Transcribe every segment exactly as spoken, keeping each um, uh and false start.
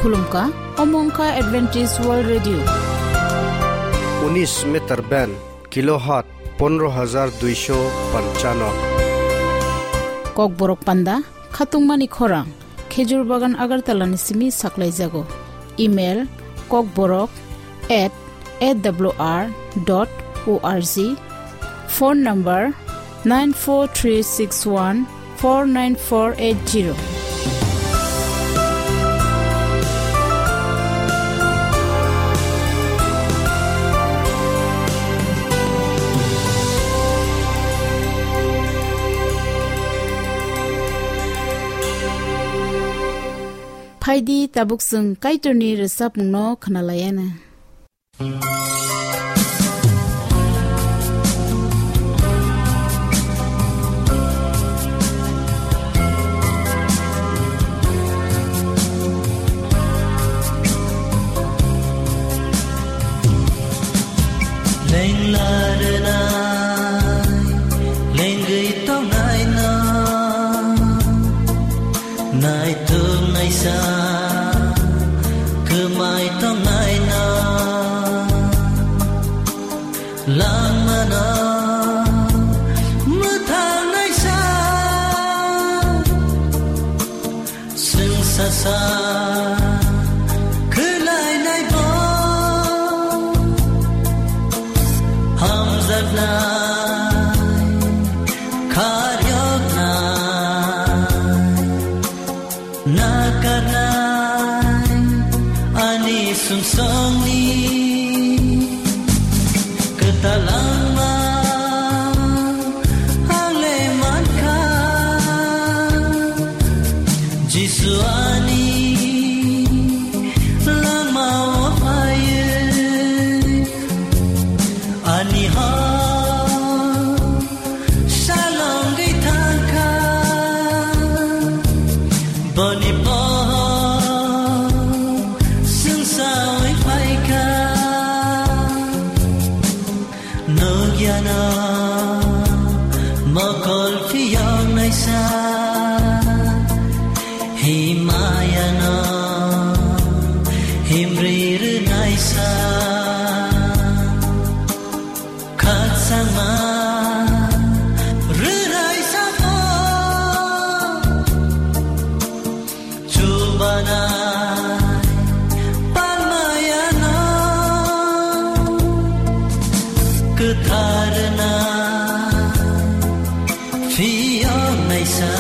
Khulumkha, omo wngkha Adventist World Radio. Unis meter band, kilohertz pondro hajar duisho panchano. Kokborok panda, khatungmani khorang, Khejur Bagan Agartala ni simi saklaijago. Email, kokborok at A W R dot O R G. Phone number, nine four three six one four nine four eight zero. Phaidi tabuk chwng Kaitorni rwchapmungno khwnalaiana. Lengla rwnai, lengwi tongnai no. Naituk naisa, kwmai tongnai no. Langmano mwthang naisa, swngsa sa khwlainai bo. Hamjaknai, kharyoknai. Nakarnai ani sumsokni kwtal langma ang le mankha. Jisu ani langmao phaiwi ani hor salongwi thangkha, boni pohor swngsawi phaikha. Nukyano mokol phiyok naisa, himayano himri rwnaisa. Khakchangma rwrai sabo, chubanai palmayano kwtharna phiyok naisa.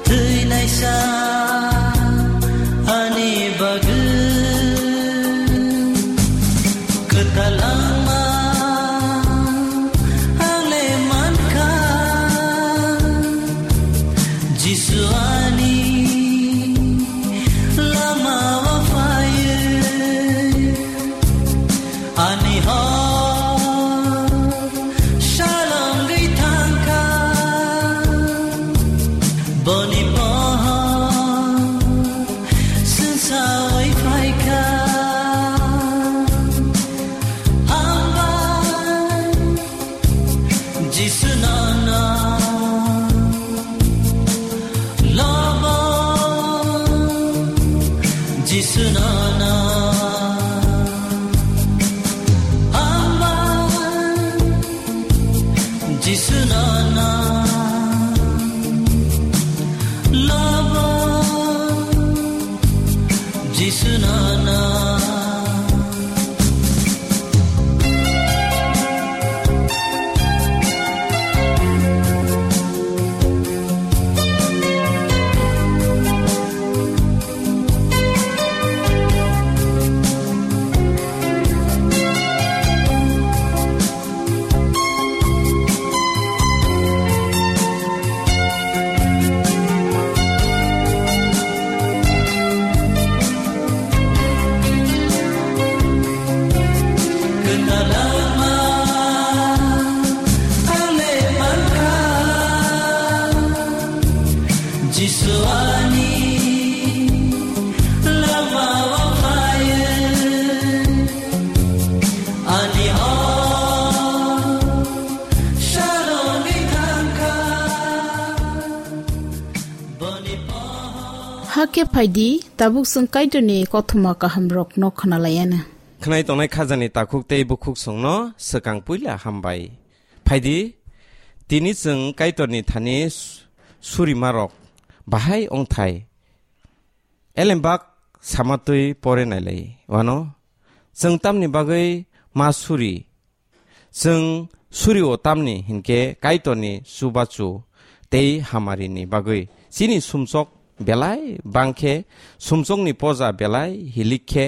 Thwi naisa ani bagwi Hakhe phaidi, tabuk chwng Kaitorni kothoma kahamrokno khwnalaianw. Khwnai tongnai khajani takhuk tei bukhuk songno swkang puila hambai. Phaidi, tini chwng Kaitorni thani su-, surimarok bahai ongthai elembak samatwi pore nailai wano. Chwng tamni bagwi ma suri? Chwng surio tamni hinkhe Kaitorni chubachu tei hamarini bagwi. Chini sumsok belai bangkhe, sumsokni poja belai hilik khe,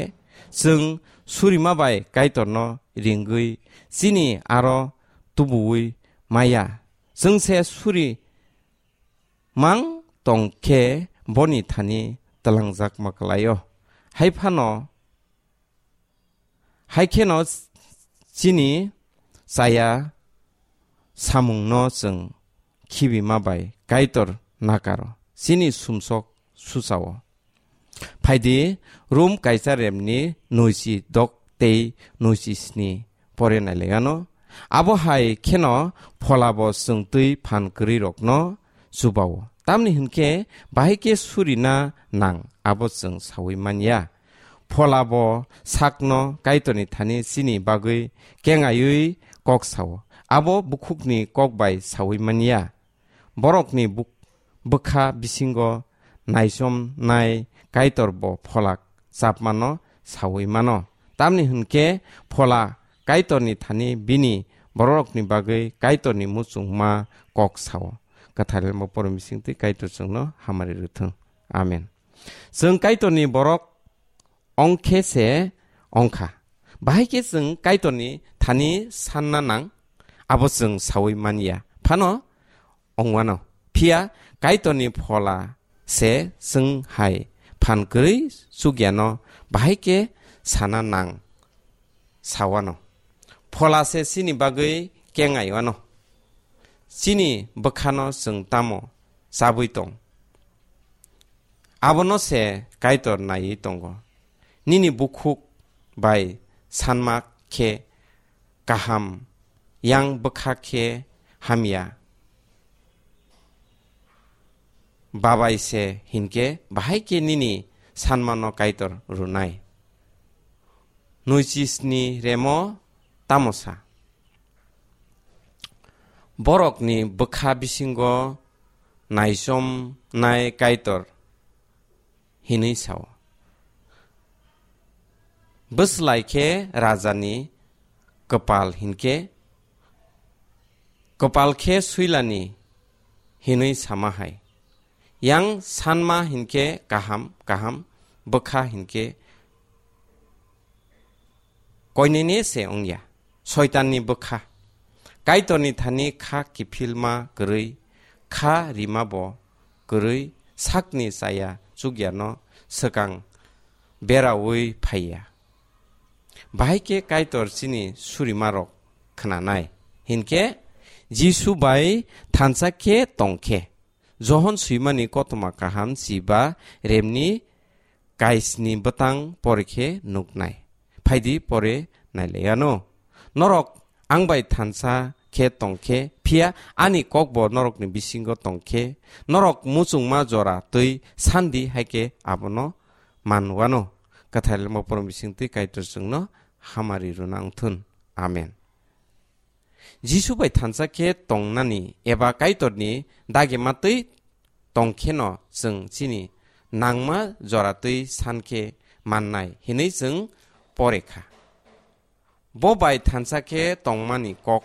chwng surima bai Kaitorno ringwi chini aro tubuwi maya. Chwngse suri mang tongkhe boni thani twlangjak maklaio. Hai phano Hai kheno chini chaya samungno chwng khibima bai Kaitor nakaro, chini sumsok suchao. Phaidi, Rom kaisa remni noisi dok tei noisi sni pore nailaiano. Abo hai kheno pholabo chwng twi phan kwrwi rokno chubao. Tamni hinkhe bahai khe surina nang, abo chwng saui manya. Phola bo sakno Kaitorni thani chini bagwi kengaiwi kok sao. Abo bukhukni kok bai saui manya. Borokni buk-, bwkha bisingo naichomnai Kaitor bo phola chapmano saui mano. Tamni hinkhe phola Kaitorni thani bini bororokni bagwi Kaitorni muchungma kok sao. Kwthar Lemo poro misingtwi Kaitor chwngno hamari rwthwng. Amen. Chwng Kaitorni borok ongkhe se ongkha. Bahai khe chwng Kaitorni thani sanna nang, abo chwng saui manya. Phano ongwano. Phiya Kaitorni phola se chwng hai phan kwrwi chukyano bahai khe sana nang sawano. Phola se chini bagwi kengaiwano. Chini bwkhano chwng tamo chabwi tong? Abono se Kaitor naiwi tongo. Nini bukhuk bai sanma khe kaham, yang bwkha khe hamya. Babai se hinkhe bahai khe nini sanmano Kaitor rwnai. Noisisni remo tamo sa? Borokni bwkha bisingo naichomnai Kaitor hinwi sao. Bwslai khe rajani kwpal hinkhe, kwpal khe swilani hinwi sama hai. Yang sanma hinkhe kaham, kaham bwkha hinkhe koinene se wngya. Soitanni bwkha. Kaitorni thani kha kiphilma kwrwi, kha rima bo kwrwi, sakni chaya chukyano swkang beraui phaiya. Bahai khe Kaitor chini surimarok khnanai. Hinkhe Jisu bai thansa khe tongkhe. Johon swimani kothoma kaham chiba remni kaisni bwtang pore khe nuknai. Phaidi pore nailaiano. Norok ang bai thansa khe tongkhe, phiya ani kokbo norokni bisingo tongkhe, norok muchungma jora twi sandi hai khe abono manwano. Kwthar Lemo poro bisingtwi Kaitor chwngno hamari rwna wngthun. Amen. Jisu bai thansa khe tongnani eba Kaitorni dagima twi tongkheno chwng chini nangma jora twi san khe mannai hinwi chwng pore kha. Bo bai thansa khe tongmani kok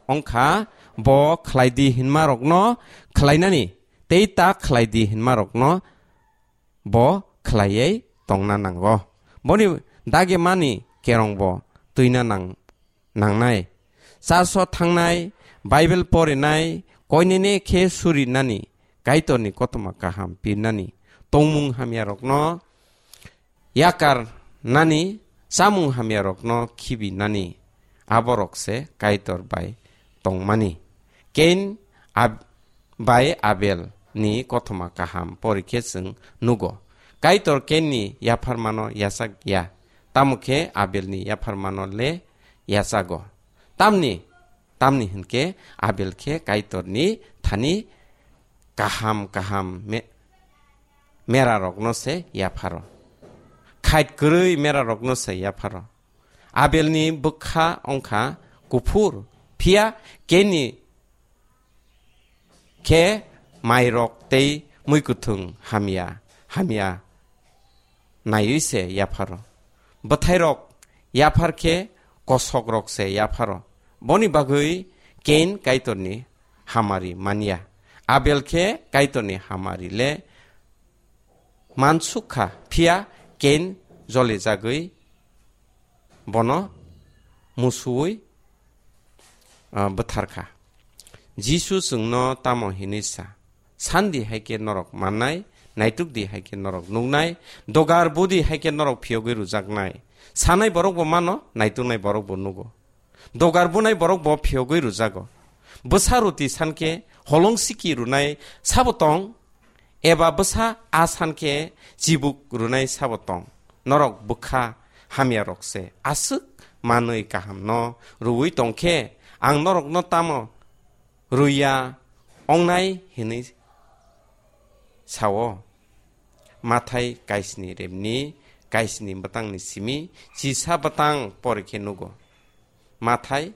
wngkha, bo khlai di hinmarokno khlainani tei ta khlai di hinmarokno bo khlaiwi tongna nango. Boni dagimani kerong bo twina nang-, nangnai. Church-o thangnai, Bible porinai, koinene khe surinani, Kaitorni kothoma kaham pirnani, tongmung hamyarokno yakar nani, chamung hamyarokno khibi nani, aborok se Kaitor bai tongmani. Kain ab-, bai Abel ni kothoma kaham pori khe chwng nugo. Kaitor Kain ni yapharmano yachak ya, tamo khe Abel ni yapharmano le yachago. Tamni, tamni hinkhe Abel khe Kaitor ni thani kaham kaham me-, merarokno se yapharo. Khait kwrwi merarokno se yapharo. Abelni bwkha wngkha kuphur, phiya Kenni khe mairok tei muikwthwng hamya, hamya naiwi se yapharo. Bwthairok yaphar khe kosokrok se yapharo. Boni bagwi Kain Kaitorni hamari manya. Abel khe Kaitorni hamari le mansuk kha, phiya Kain jolijagwi bono musuwi, ah, bwtharkha. Jisu chwngno tamo hinwi sa, "Sandi hai khe norok mannai, naitukdi hai khe norok nuknai, dogar budi hai khe norok phiyogwi rwjaknai." Sanai borok bo mano, naituknai borok bo nugo. Dogar bunai borok bo phiyogwi rwjago. Bwsa ruti san khe holong siki runai sabo tong, eba bwsa a san khe chibuk runai sabo tong. Norok bwkha hamyarok se aswk manwi kahamno rwui tong khe, ang norokno tamo rwya ongnai hinwi sao. Mathai kaisni remni kaisni bwtangni simi chisa bwtang pori khe nugo. Mathai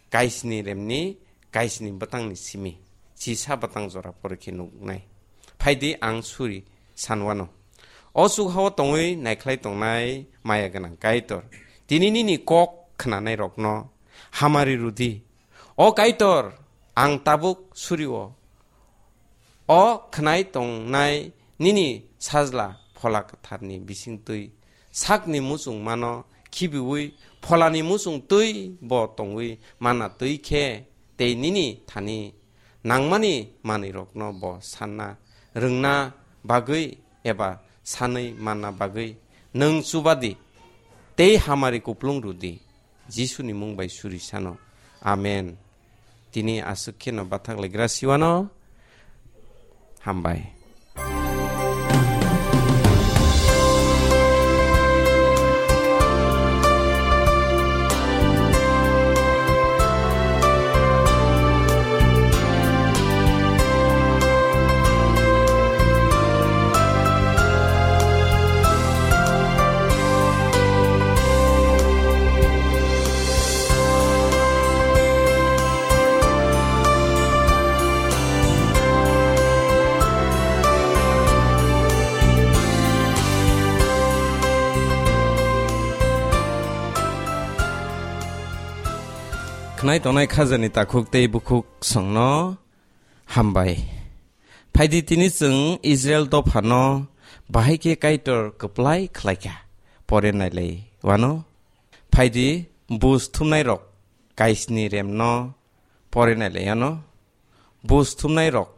kaisni remni kaisni bwtangni simi chisa bwtang jora pori khe nuknai. Phaidi ang suri sanwano. O chukhao tongwi naikhlai tongnai maya gwnang Kaitor, tini nini kok khnanairokno hamari rwdi. O Kaitor, ang tabuk surio. O khnai tongnai nini sajla Phola Kwtharni bisingtwi sakni muchungmano khibiui pholani muchungtwi bo tongwi mana twi khe, tei nini thani nangmani manwirokno bo sanna rwngna bagwi eba sanwi manna bagwi nwng chubadi tei hamari kuplung rwdi. Jisuni mung bai suri sano. Amen. Tini aswk kheno bathak laigra siwano. Hambai. Khnai tongnai khajani takhuk tei bukhuk songno hambai. Phaidi tini chwng Israel dophano bahai khe Kaitor kwplai khlaikha. Pore nailai wano. Phaidi bus thumnairok kaisni remno pore nailai wano. Bus thumnairok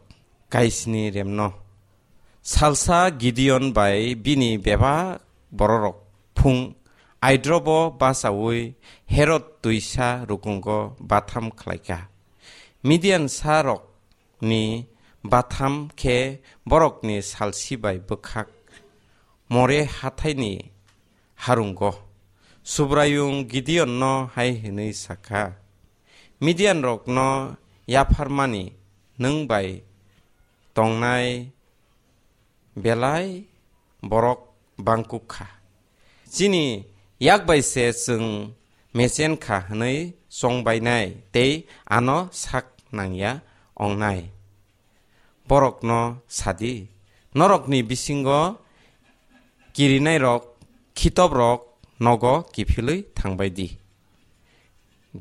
kaisni remno. Salsa Gideon bai bini bebak bororok phung aidrobo bachaui Herod twisa rukungo batham khlaikha. Midian sarok ni batham khe borokni salsi bai bwkhak More hathaini harungo. Subraiyung Gideonno hai hwnwi sakha, "Midianrokno yapharmani nwng bai tongnai belai borok bangkuk kha. Chini yak bai se chwng mechen kha hwnwi chongbainai tei ano sak nangya ongnai. Borokno sadi, norokni bisingo kirinairok, khitobrok nogo kiphilwi thangbai di."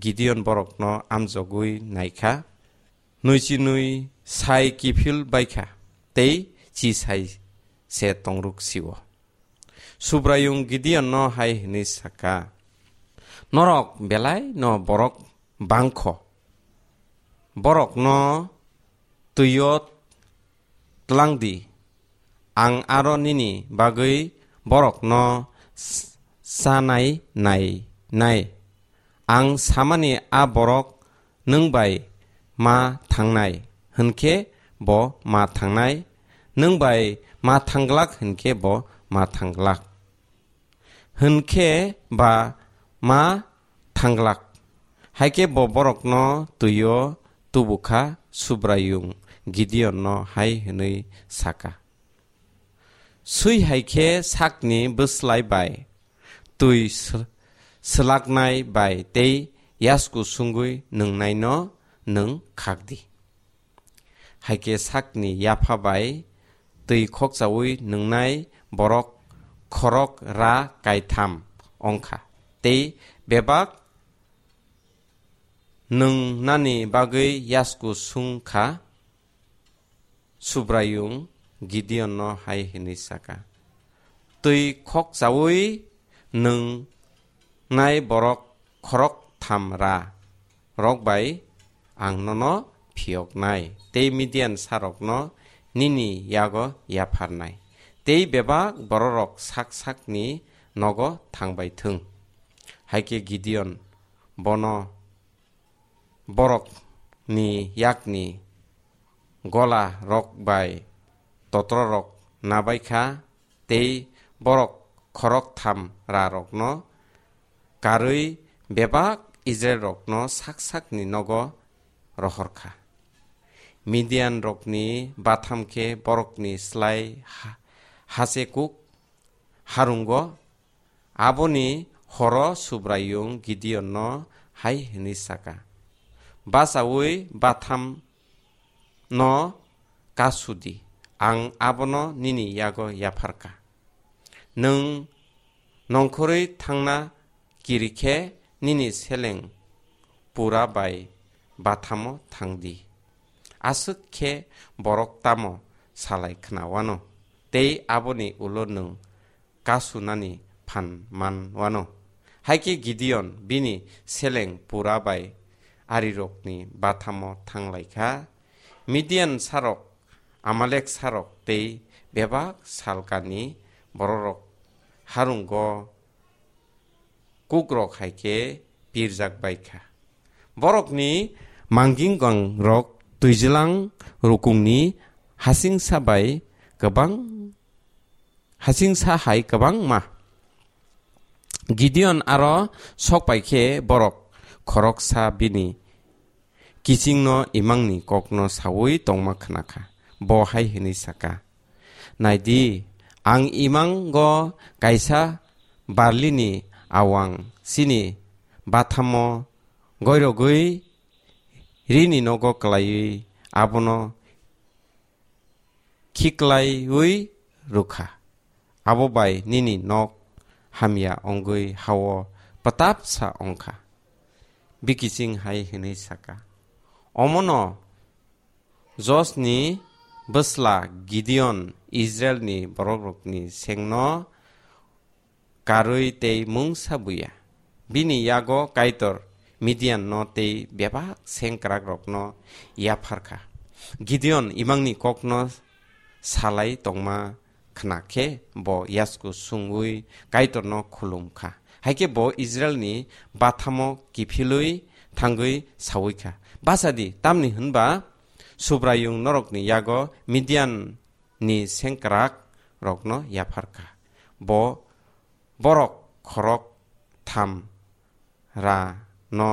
Gideon borokno amjogwi naikha, nwichi nwi sai kiphil baikha tei chi sai se tongruk sio. Subraiyung Gideonno hai hwnwi sakha, "Norok belai no borok bangkho, borokno twio tlang di, ang aro nini bagwi borokno s-, chanai nai nai. Ang samani a borok nwng bai ma thangnai hwnkhe bo ma thangnai, nwng bai ma thangglak hwnkhe bo ma thangglak." Hwnkhe ba ma thanglak. Haikhe bo borokno twio tubukha, Subraiyung Gideonno hai hwnwi sakha, Swi hai khe sakni bwslai bai twi sw-, swlaknai bai tei yasku sungwi nwngnaino nwng khak di. Hai khe sakni yapha bai twi khokchaui nwngnai borok khorok ra kaitham wng kha, tei bebak nwngnani bagwi yasku sung kha. Subraiyung Gideonno hai hwnwi sa kha, "Twi khokchaui nwngnai borok khorok tham ra rok bai ang nono phiyoknai tei Midian sarokno nini yago yapharnai, tei bebak bororok sak sakni nogo thangbai thung." Hai khe Gideon bono borokni yakni gola rok bai totrorok nabai kha, tei borok khorok tham ra rokno karwi bebak Israilrokno sak sakni nogo rohor kha. Midianrokni batham khe borokni slai ha-, hache kuk harungo. Aboni horo Subraiyung Gideonno hai hwnwi sa kha, "Bachaui batham no kasu di, ang abono nini yago yaphar kha. Nwng nongkhorwi thangna kiri khe nini seleng pura bai bathamo thang di. Aswk khe borok tamo salai khna wano, tei aboni ulo nwng kasunani phan man wano." Hai khe Gideon bini seleng pura bai arirokni bathamo thang lai kha. Midian sarok, Amalek sarok tei bebak salkani bororok harungo kukrok hai khe pirjak bai kha. Borokni manginggang rok twijlang rukungni hasingsa bai kwbang, hasingsa hai kwbangma. Gideon aro sok pai khe borok khoroksa bini kichingno imangni kokno saui tongma khna kha. Bo hai hwnwi sa kha, "Nai di, ang imango kaisa barlini awang chini bathamo goirogwi rini nogo klaiwi abono khiklaiwi rwkha. Abo bai nini nok hamya wngwi hao pwtapsa wng kha." Bikiching hai hwnwi sa kha, "Omono Josni bwsla Gideon Israilni borokrokni sengno karwi tei mungsa buya. Bini yago Kaitor Midianno tei bebak sengkrakrokno yaphar kha." Gideon imangni kokno salai tongma khna khe bo yasku sungwi Kaitorno khulum kha. Hai khe bo Israilni bathamo kiphilwi thangwi saui kha, "Bacha di, tamni hwnba Subraiyung norokni yago Midian ni sengkrak rokno yaphar kha. Bo borok khorok tham ra no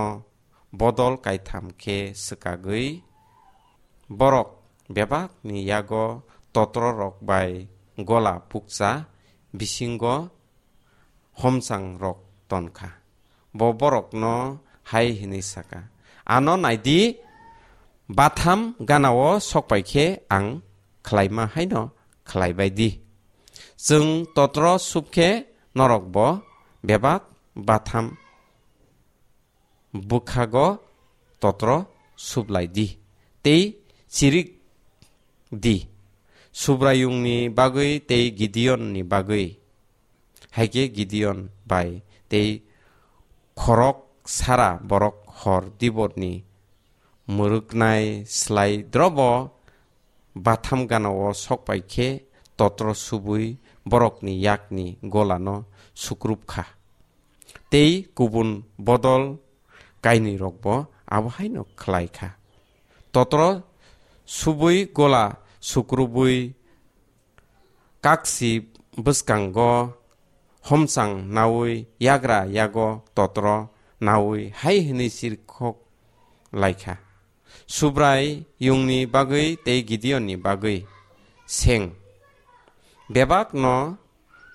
bodol kaitham khe swkagwi borok bebak ni yago totro rok bai gola pukcha bisingo homchang rok ton kha." Bo borokno hai hwnwi sa kha, "Ano nai di, batham ganao sok pai khe ang khlaima haino khlai bai di. Chwng totro sub khe norok bo bebak batham bwkhago totro sub lai di tei chirik di, Subraiyungni bagwi tei Gideonni bagwi." Hai khe Gideon bai tei khorok sara borok hor diborni mwrwknai slai drobo batham ganao sok pai khe totro subui borokni yakni golano sukrub kha. Tei kubun bodol kainwi rokbo abo haino khlai kha. Totro subui gola sukrubui kaksi bwskango homchang naui yagra yago totro naui hai hwnwi sirkhok lai kha, "Subraiyungni bagwi tei Gideonni bagwi seng, bebakno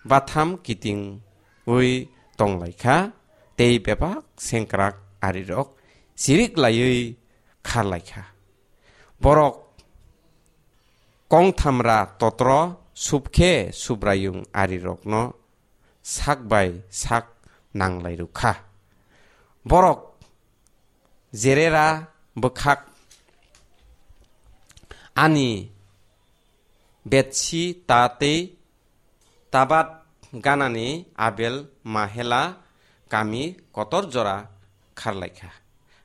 batham kitingwi tonglaikha, tei bebak sengkrak arirok chirik laiwi kharlaikha. Borok kongthamra totro subkhe Subraiyung arirokno sak bai sak nanglairukha. Borok jerera bwkhak ani Betsi ta tei Tabat ganani Abel Mahela kami kotor jora kharlaikha.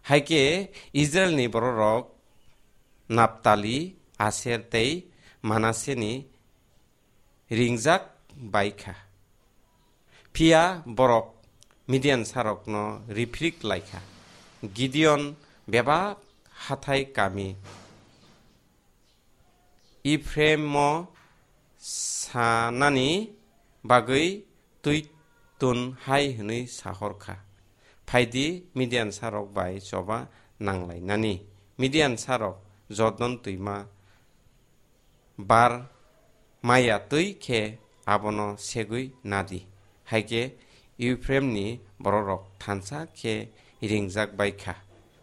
Haikhe Israilni bororok Naptali, Aser tei Manaseni ringjak baikha. Phiya borok Midiansarokno riphirik laikha. Gideon bebak hathai kami Ephraimo sanani bagwi twi tun hai hwnwi sahorkha, "Phaidi, Midiansarok bai choba nanglainani." Midiansarok Jordan twima bar maya twi khe abono segwi nadi. Haikhe Ephraimni bororok thansa khe ringjak bai kha.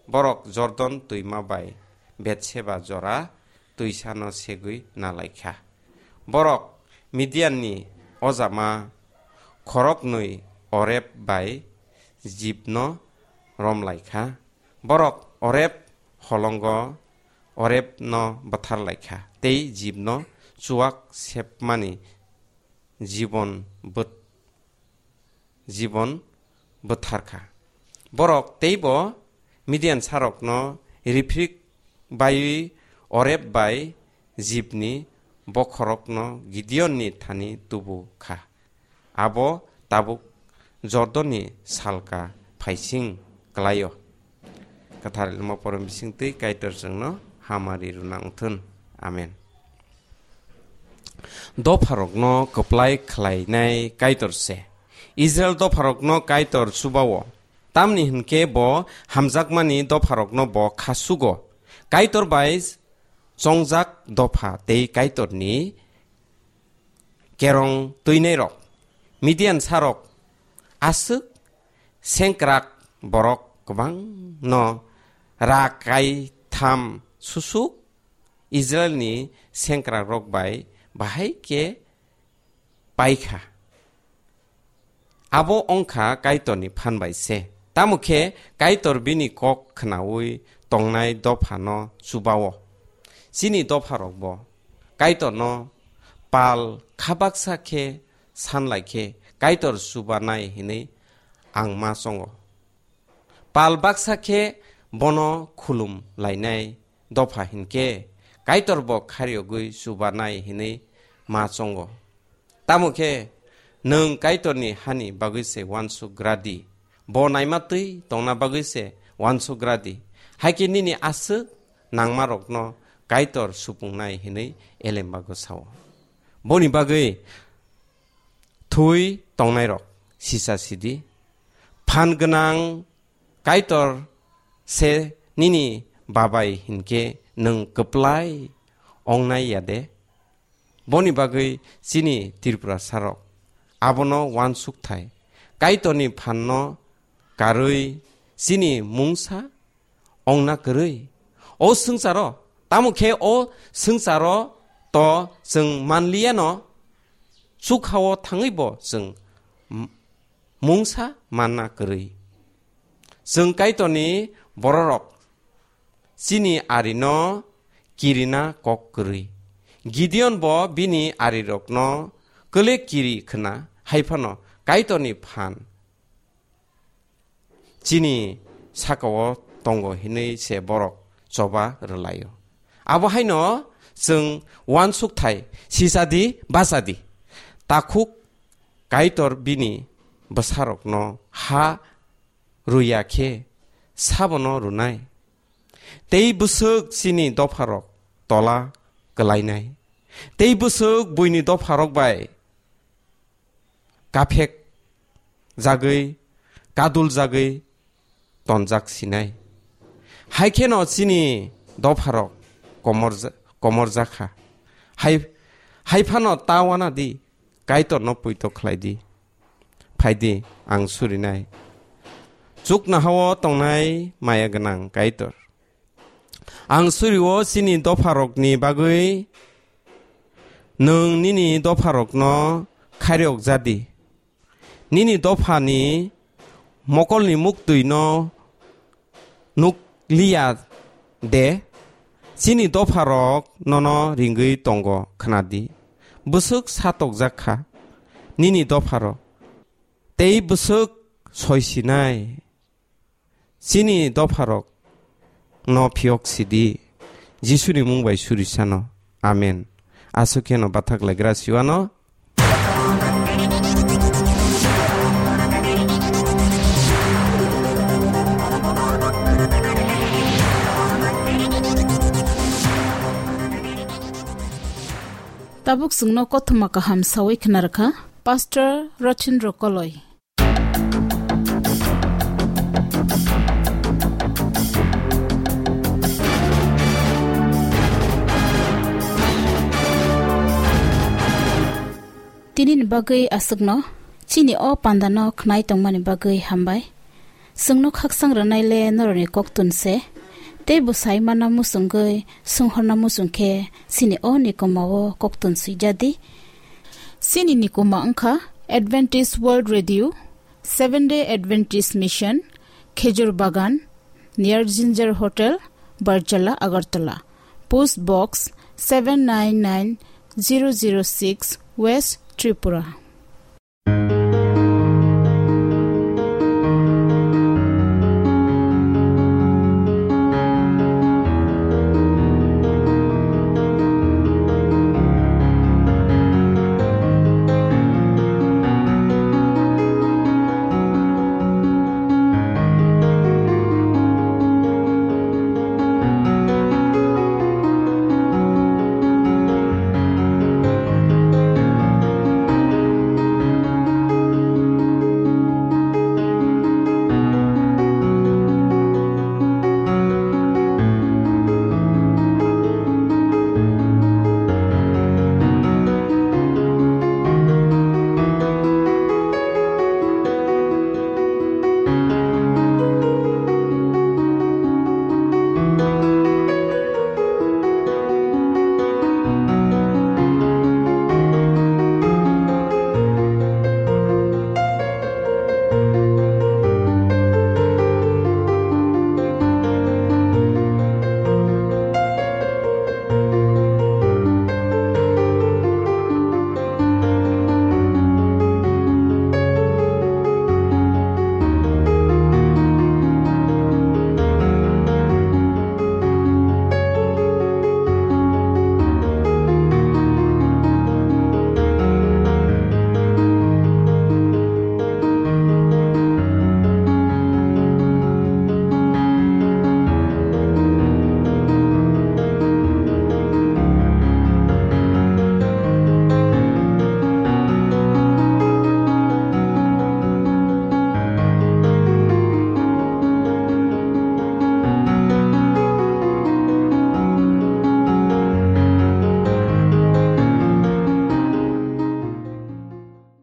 Borok Jordan twima bai Betseba jora twisano segwi nalaikha. Borok Midianni ojama khoroknwi Oreb bai Zibno romlaikha. Borok Oreb holongo Orebno bwtharlaikha tei Zibno chuak sepmani jibon bwt-, jibon bwtharkha. Borok teibo Midiansarokno riphirik baiwi Oreb bai Zibni bokhorokno Gideonni thani tubu kha. Abo tabuk Jordonni salka phaising klaio. Kwthar Elma porom bisingtwi Kaitor chwngno hamari rwna wngthun. Amen. Dopharokno kwplai khlainai Kaitor se. Israel dopharokno Kaitor chubao, tamni hwnkhe bo hamjakmani dopharokno bo khasugo. Kaitor bai chongjak dopha tei Kaitorni kerong twinairok, Midiansarok aswk sengkrak borok kwbangno ra kaitham susuk Israilni sengkrakrok bai bahai khe paikha. Abo wngkha Kaitorni phan bai se. Tamo khe Kaitor bini kok khnaui tongnai dophano chubao. Chini dopharokbo Kaitorno pal kha baksa khe san lai khe Kaitor chubanai hinwi ang ma chongo. Pal baksa khe bono khulum lainai dopha hinkhe Kaitor bo kharyogwi chubanai hinwi ma chongo. Tamo khe nwng Kaitorni hani bagwi se uansuk gra di, bo naima twi tongna bagwi se uansuk gra di, hai khe nini aswk nangmarokno Kaitor supungnai hinwi elembago sao. Boni bagwi thwi tongnairok sisa sidi, phan gwnang Kaitor se nini babai hinkhe nwng kwplai ongnai ya de? Boni bagwi chini Tripurasarok abono uansukthai, Kaitorni phanno karwi chini mungsa ongna kwrwi. O swngcharo, tamo khe o swngcharo to chwng manliyano, chukhao thangwibo chwng m-, mungsa manna kwrwi. Chwng Kaitorni bororok chini arino kirina kok kwrwi. Gideon bo bini arirokno kwle kiri khna, hai phano Kaitorni phan chini sakao tongo hinwi se borok choba rwlaio. Abo haino chwng uansukthai sisadi bachadi. Takhuk Kaitor bini bwsarokno ha rwya khe sabono rwnai. Tei bwswk chini dopharok tola kwlainai. Tei bwswk buini dopharok bai kaphek jagwi, kadul jagwi tonjak sinai. Hai kheno chini dopharok komor ja-, komor jakha. Hai, Hai phano ta wana di, Kaitorno poito khlai di. Phai di, ang surinai. Chuknohao tongnai maya gwnang Kaitor. Ang surio chini dopharokni bagwi nwng nini dopharokno khairok ja di. Nini dophani mokolni muktwino nuk liya de, chini dopharok nono ringwi tongo khna di. Bwswk satokjak kha nini dopharok, tei bwswk soi sinai. Chini dopharok no phiyok sidi, Jisuni mung bai surisano. Amen. Aswk kheno bathak laigra siwano. Tabuk chwngno kothoma kaham sawi khna rwkha Pastor Rothindro Koloi. Tinini bagwi aswkno, chini o pandano khnai tongmani bagwi hambai. Chwngno khakchang rwnai le norokni koktun se, tei bwsai mana muchungwi, swnghorna muchung khe chini o nikomao koktun swijadi. Chini nikoma wngkha Adventist World Radio, Seventh Day Adventist Mission, Khejur Bagan, near Ginger Hotel, Barjala, Agartala. Post Box seven nine nine zero zero six, West Tripura.